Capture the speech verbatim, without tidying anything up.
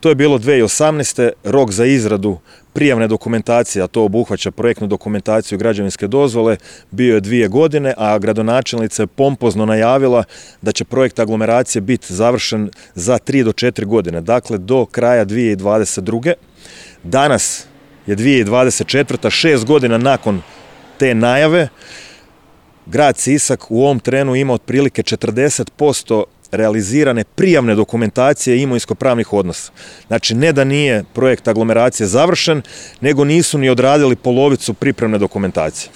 To je bilo dvije tisuće osamnaeste. Rok za izradu prijavne dokumentacije, a to obuhvaća projektnu dokumentaciju građevinske dozvole, bio je dvije godine, a gradonačelnica je pompozno najavila da će projekt aglomeracije biti završen za tri do četiri godine, dakle do kraja dvije tisuće dvadeset druge. Danas je dvije tisuće dvadeset četvrta. šest godina nakon te najave, grad Sisak u ovom trenu ima otprilike četrdeset posto realizirane prijavne dokumentacije imovinsko-pravnih odnosa. Znači, ne da nije projekt aglomeracije završen, nego nisu ni odradili polovicu pripremne dokumentacije.